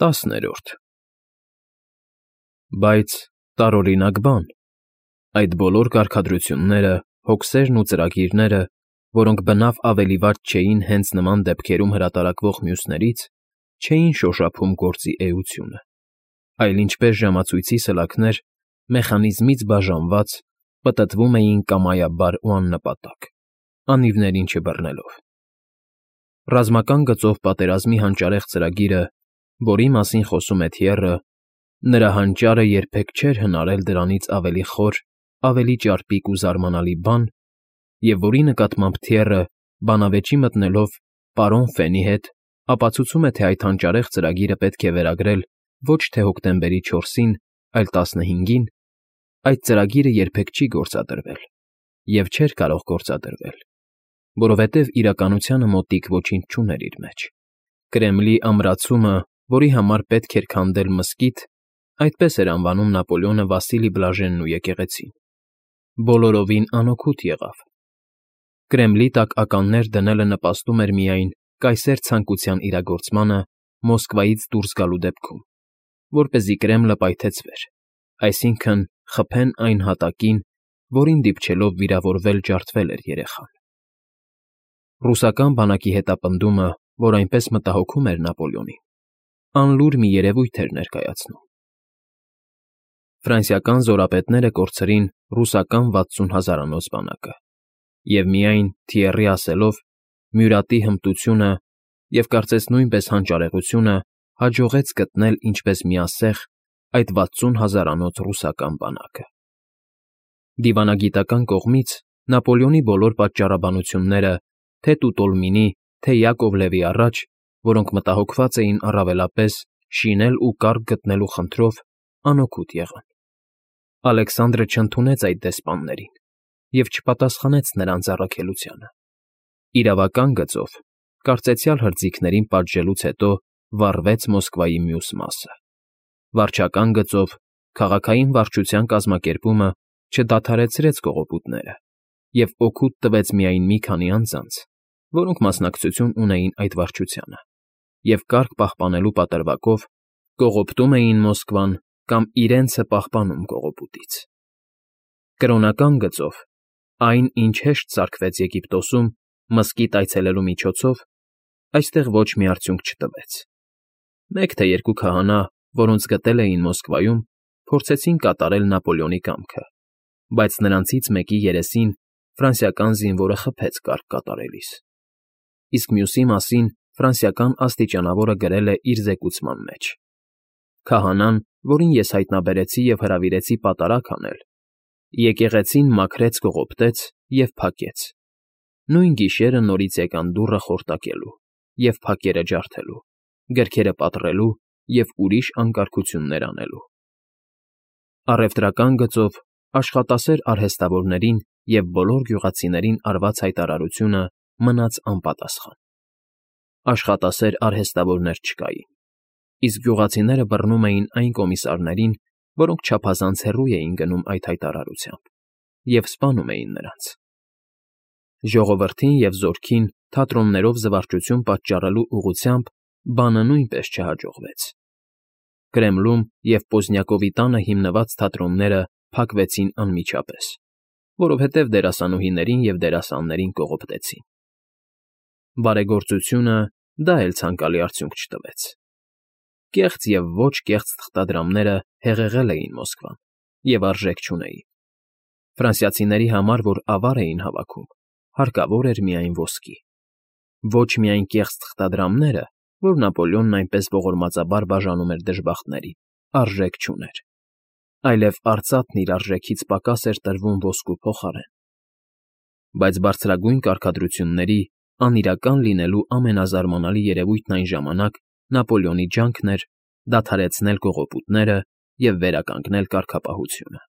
10-րդ Բայց տարօրինակ բան, այդ բոլոր կարգադրությունները, հոգսերն ու ծրագիրները, որոնք բնավ ավելի վատ չէին հենց նման դեպքերում հրատարակվող մյուսներից, չէին շոշափում գործի էությունը, այլ ինչպես ժամացույցի սլաքներ, մեխանիզմից բաժանված, պտտվում էին կամայաբար ու աննպատակ, անիվներին չբռնելով։ Ռազմական գծով պատերազմի հանճարեղ ծրագիրը, որի մասին խոսում է Թիեռը, նրա հանճարը երբեք չէր հնարել դրանից ավելի խոր, ավելի ճարպիկ ու զարմանալի բան, և որի նկատմամբ Թիեռը, բանավեճի մտնելով պարոն Ֆենի հետ, ապացուցում է, թե այդ հանճարեղ ծրագիրը պետք է վերագրել ոչ թե հոկտեմբերի 4-ին, այլ 15-ին, այդ ծրագիրը երբեք չի գործադրվել և չէր կարող գործադրվել, որովհետև իրականությանը մոտիկ ոչինչ չուներ իր մեջ։ Կրեմլի ամրացումը, որի համար պետք էր քանդել մզկիթ, այդպես էր անվանում Նապոլեոնը Վասիլի Բլաժենն ու եկեղեցին, բոլորովին անօգուտ եղավ։ Կրեմլի տակ ականներ դնելը նպաստում էր միայն կայսեր ցանկության իրագործմանը Մոսկվայից դուրս գալու դեպքում, որպեսզի Կրեմլը պայթեցվեր, այսինքն՝ խփեն այն հատակին, որին դիպչելով վիրավորվել ջարդվել էր երեխան։ Ռուսական բանակի հետապնդումը, որ այնպես մտահոգում էր Նապոլեոնին, անլուր մի երևույթ էր ներկայացնում։ Ֆրանսիական զորապետները կորցրին ռուսական 60,000-անոց բանակը, և միայն Թիեռի ասելով, Մյուրատի հմտությունը և կարծես նույնպես հանճարեղությունը հաջողեց գտնել ինչպես միասեղ այդ 60,000-անոց ռուսական բանակը։ Դիվանագիտական կողմից Նապոլեոնի բոլոր պատճառաբանությունները, թե Տուտոլմինի, թե Յակով Լևի առաջ, որոնք մտահոգված էին առավելապես շինել ու կառք գտնելու խնդրով, անօգուտ եղան։ Ալեքսանդրը չընդունեց այդ դեսպաններին և չպատասխանեց նրանց առաքելությանը։ Իրավական գծով, կարծեցյալ հրձիգներին պատժելուց հետո վառվեց Մոսկվայի մյուս մասը։ Վարչական գծով, քաղաքային վարչության կազմակերպումը չդադարեցրեց կողոպուտները և օգուտ տվեց միայն մի քանի անձանց, որոնք մասնակցություն ունեին այդ վարչությանը, և կարգ պահպանելու պատրվակով կողոպտում էին Մոսկվան կամ իրենցը պահպանում կողոպուտից։ Կրոնական գծով, այն, ինչ հեշտ սարքվեց Եգիպտոսում մզկիթ այցելելու միջոցով, այստեղ ոչ մի արդյունք չտվեց։ Մեկ թե երկու քահանա, որոնց գտել էին Մոսկվայում, փորձեցին կատարել Նապոլեոնի կամքը, բայց նրանցից մեկի երեսին ֆրանսիական զինվորը խփեց կարգ կատարելիս, իսկ մյուսի մասին ֆրանսիական աստիճանավորը գրել է իր զեկուցման մեջ. «Քահանան, որին ես հայտնաբերեցի և հրավիրեցի պատարագ անել, եկեղեցին մաքրեց, կողոպտեց և փակեց, նույն գիշերը նորից եկան դուռը խորտակելու և փակերը ջարդելու, գրքերը պատռելու և ուրիշ անկարգություններ անելու»։ Առևտրական գծով աշխատասեր արհեստավորներին և բոլոր գյուղացիներին արված հայտարարությունը մնաց անպատասխան։ Աշխատասեր արհեստավորներ չկային, իսկ գյուղացիները բռնում էին այն կոմիսարներին, որոնք չափազանց հեռու էին գնում այդ հայտարարությամբ, և սպանում էին նրանց։ Ժողովրդին և զորքին թատրոններով զվարճություն պատճառելու ուղղությամբ բանը նույնպես չհաջողվեց։ Կրեմլում և Պոզնյակովի տանը հիմնված թատրոնները փակվեցին անմիջապես, որովհետև դերասանուհիներին և դերասաններին կողոպտեցին։ Բարեգործությունը դա էլ ցանկալի արդյունք չտվեց։ Կեղծ և ոչ կեղծ թղթադրամները հեղեղել էին Մոսկվան և արժեք չունեին։ Ֆրանսիացիների համար, որ ավար էին հավաքում, հարկավոր էր միայն ոսկի։ Ոչ միայն կեղծ թղթադրամները, որ Նապոլեոնն այնպես ողորմածաբար բաժանում էր դժբախտներին, արժեք չուներ, այլև արծաթն իր արժեքից պակաս էր տրվում ոսկու փոխարեն։ Բայց բարձրագույն կարգադրությունների, անիրական լինելու ամենազարմանալի երևույթն այն ժամանակ Նապոլեոնի ջանքն էր դադարեցնել կողոպուտները և վերականգնել կարգապահությունը։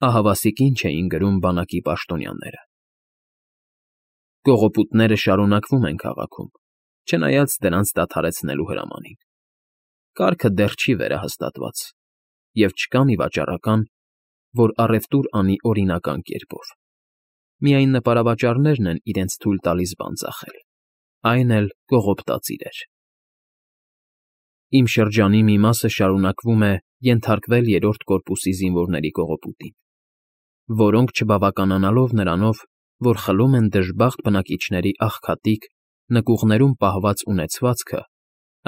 Ահավասիկ ինչ էին գրում բանակի պաշտոնյաները. Կողոպուտները շարունակվում են քաղաքում, չնայած դրանց դադարեցնելու հրամանին։ Կարգը դեռ չի վերահաստատված, և չկա մի վաճառական, որ առևտուր անի օրինական կերպով։ Միայն նպարավաճառներն են իրենց թույլ տալիս բան ծախել, այն էլ կողոպտած իրեր։ Իմ շրջանի մի մասը շարունակվում է ենթարկվել երրորդ կորպուսի զինվորների կողոպուտին, որոնք, չբավականանալով նրանով, որ խլում են դժբախտ բնակիչների աղքատիկ, նկուղներում պահված ունեցվածքը,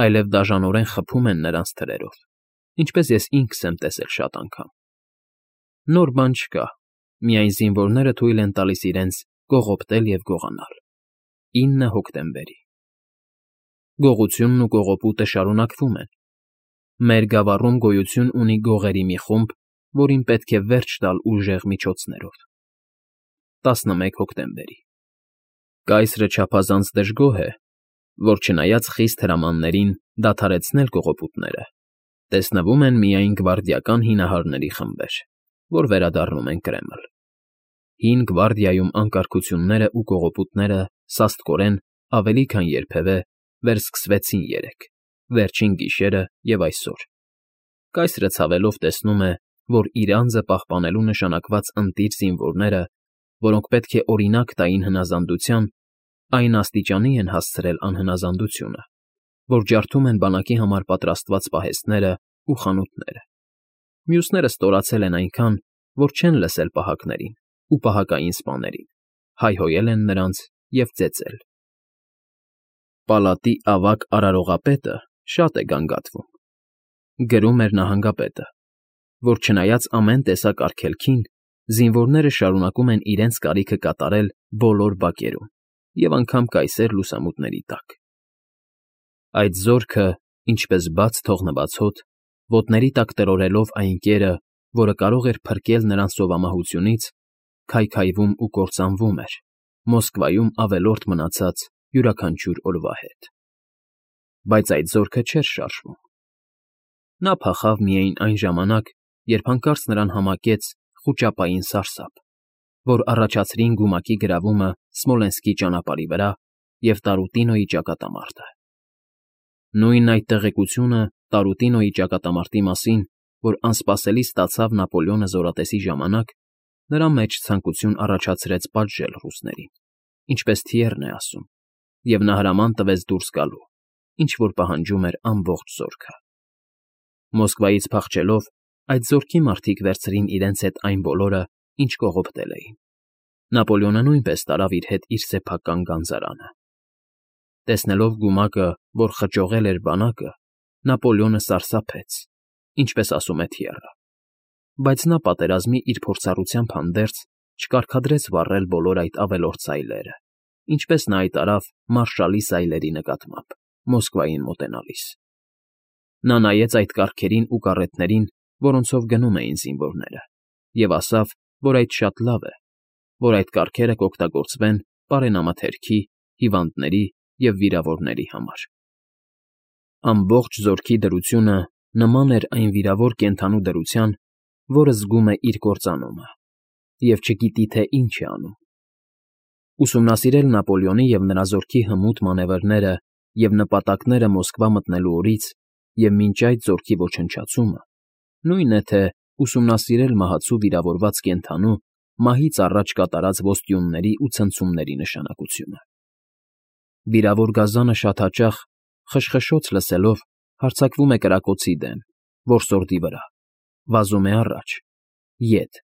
այլև դաժանորեն խփում են նրանց թրերով, ինչպես ես ինքս եմ տեսել շատ անգամ։ Նոր բան չկա, միայն զինվորները թույլ են տալիս իրենց կողոպտել և գողանալ։ 9 հոկտեմբերի Գողությունն ու կողոպուտը շարունակվում են։ Մեր գավառում գոյություն ունի գողերի մի խումբ, որին պետք է վերջ տալ ուժեղ միջոցներով։ 11 հոկտեմբերի Կայսրը չափազանց դժգոհ է, որ չնայած խիստ հրամաններին դադարեցնել կողոպուտները, տեսնվում են միայն գվարդիական հինահարների խմբեր, որ վերադառնում են Կրեմլ։ Հին գվարդիայում անկարգությունները ու կողոպուտները սաստկորեն ավելի քան երբևէ վերսկսվեցին երեկ, վերջին գիշերը և այսօր։ Կայսրը ցավելով տեսնում է, որ իր անձը պահպանելու նշանակված ընտիր զինվորները, որոնք պետք է օրինակ տային հնազանդության, այն աստիճանի են հասցրել անհնազանդությունը, որ ջարդում են բանակի համար պատրաստված պահեստները ու խանութները։ Մյուսները ստորացել են այնքան, որ չեն լսել պահակներին ու պահակային սպաներին, հայհոյել են նրանց և ծեծել։ Պալատի ավագ արարողապետը շատ է գանգատվում, գրում էր նահանգապետը, որ չնայած ամեն տեսակ արգելքին, զինվորները շարունակում են իրենց կարիքը կատարել բոլոր բակերում և անգամ կայսեր լուսամուտների տակ։ Այդ զորքը, ինչպես բաց թողնված հոտ, ոտների տակ տրորելով այն կերը, որը կարող էր փրկել նրան սովամահությունից, քայքայվում ու կործանվում էր Մոսկվայում ավելորդ մնացած յուրաքանչյուր օրվա հետ։ Բայց այդ զորքը չէր շարժվում։ Նա փախավ միայն այն ժամանակ, երբ հանկարծ նրան համակեց խուճապային սարսափ, որ առաջացրին գումակի գրավումը Սմոլենսկի ճանապարհի վրա և Տարուտինոյի ճակատամարտը։ Նույն այդ տեղեկությունը Տարուտինոյի ճակատամարտի մասին, որ անսպասելի ստացավ Նապոլեոնը զորատեսի ժամանակ, նրա մեջ ցանկություն առաջացրեց պատժել ռուսներին, ինչպես Թիերն է ասում, և նա հրաման տվեց դուրս գալու, ինչ որ պահանջում էր ամբողջ զորքը։ Մոսկվայից փախչելով, այդ զորքի մարդիկ վերցրին իրենց հետ այն բոլորը, ինչ կողոպտել էին։ Նապոլեոնը նույնպես տարավ իր հետ իր սեփական գանձարանը։ Տեսնելով գումակը, որ խճողել էր բանակը, Նապոլեոնը սարսափեց, ինչպես ասում է Թիերը, բայց նա պատերազմի իր փորձառությամբ հանդերձ չկարգադրեց վառել բոլոր այդ ավելորդ սայլերը, ինչպես նա այդ արավ մարշալի սայլերի նկատմամբ, Մոսկվային մոտենալիս։ Նա նայեց այդ կառքերին ու կառետներին, որոնցով գնում էին զինվորները, և ասավ, որ այդ շատ լավ է, որ այդ կառքերը կօգտագործվեն պարենամթերքի, հիվանդների և վիրավորների համար։ Ամբողջ զորքի դրությունը նման էր այն վիրավոր կենդանու դրության, որը զգում է իր կործանումը և չգիտի, թե ինչ է անում։ Ուսումնասիրել Նապոլեոնի և նրա զորքի հմուտ մանևրները և նպատակները Մոսկվա մտնելու օրից և մինչ այդ զորքի ոչնչացումը, նույն է, թե ուսումնասիրել մահացու վիրավորված կենդանու մահից առաջ կատարած ոստյունների ու ցնցումների նշանակությունը։ Վիրավոր գազանը շատ հաճախ, խշխշոց լսելով, հարձակվում է կրակոցի դեմ, որսորդի վրա, վազում է առաջ, ետ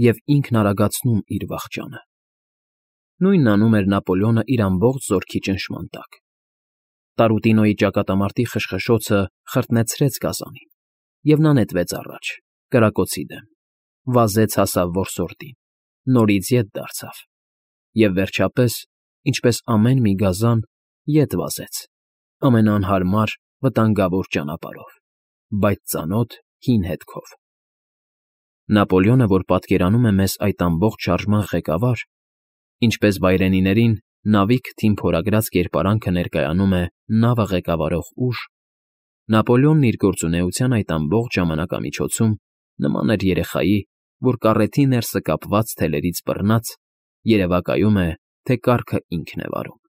և ինքն արագացնում իր վախճանը։ Նույնն անում էր Նապոլեոնը իր ամբողջ զորքի ճնշման տակ։ Տարուտինոյի ճակատամարտի խշխշոցը խրտնեցրեց գազանին, և նա նետվեց առաջ, կրակոցի դեմ, վազեց հասավ որսորդին, նորից ետ դարձավ և, վերջապես, ինչպես ամեն մի գազան, ետ վազեց ամենաանհարմար, վտանգավոր ճանապարհով, բայց ծանոթ հին հետքով։ Նապոլեոնը, որ պատկերանում է մեզ այդ ամբողջ շարժման ղեկավար, ինչպես վայրենիներին նավի քթին փորագրած կերպարանքը ներկայանում է նավը ղեկավարող ուժ, Նապոլեոնն իր գործունեության այդ ամբողջ ժամանակամիջոցում նման էր երեխայի, որ կառեթի ներսը կապված թելերից բռնած, երևակայում է, թե կառքը ինքն է վարում։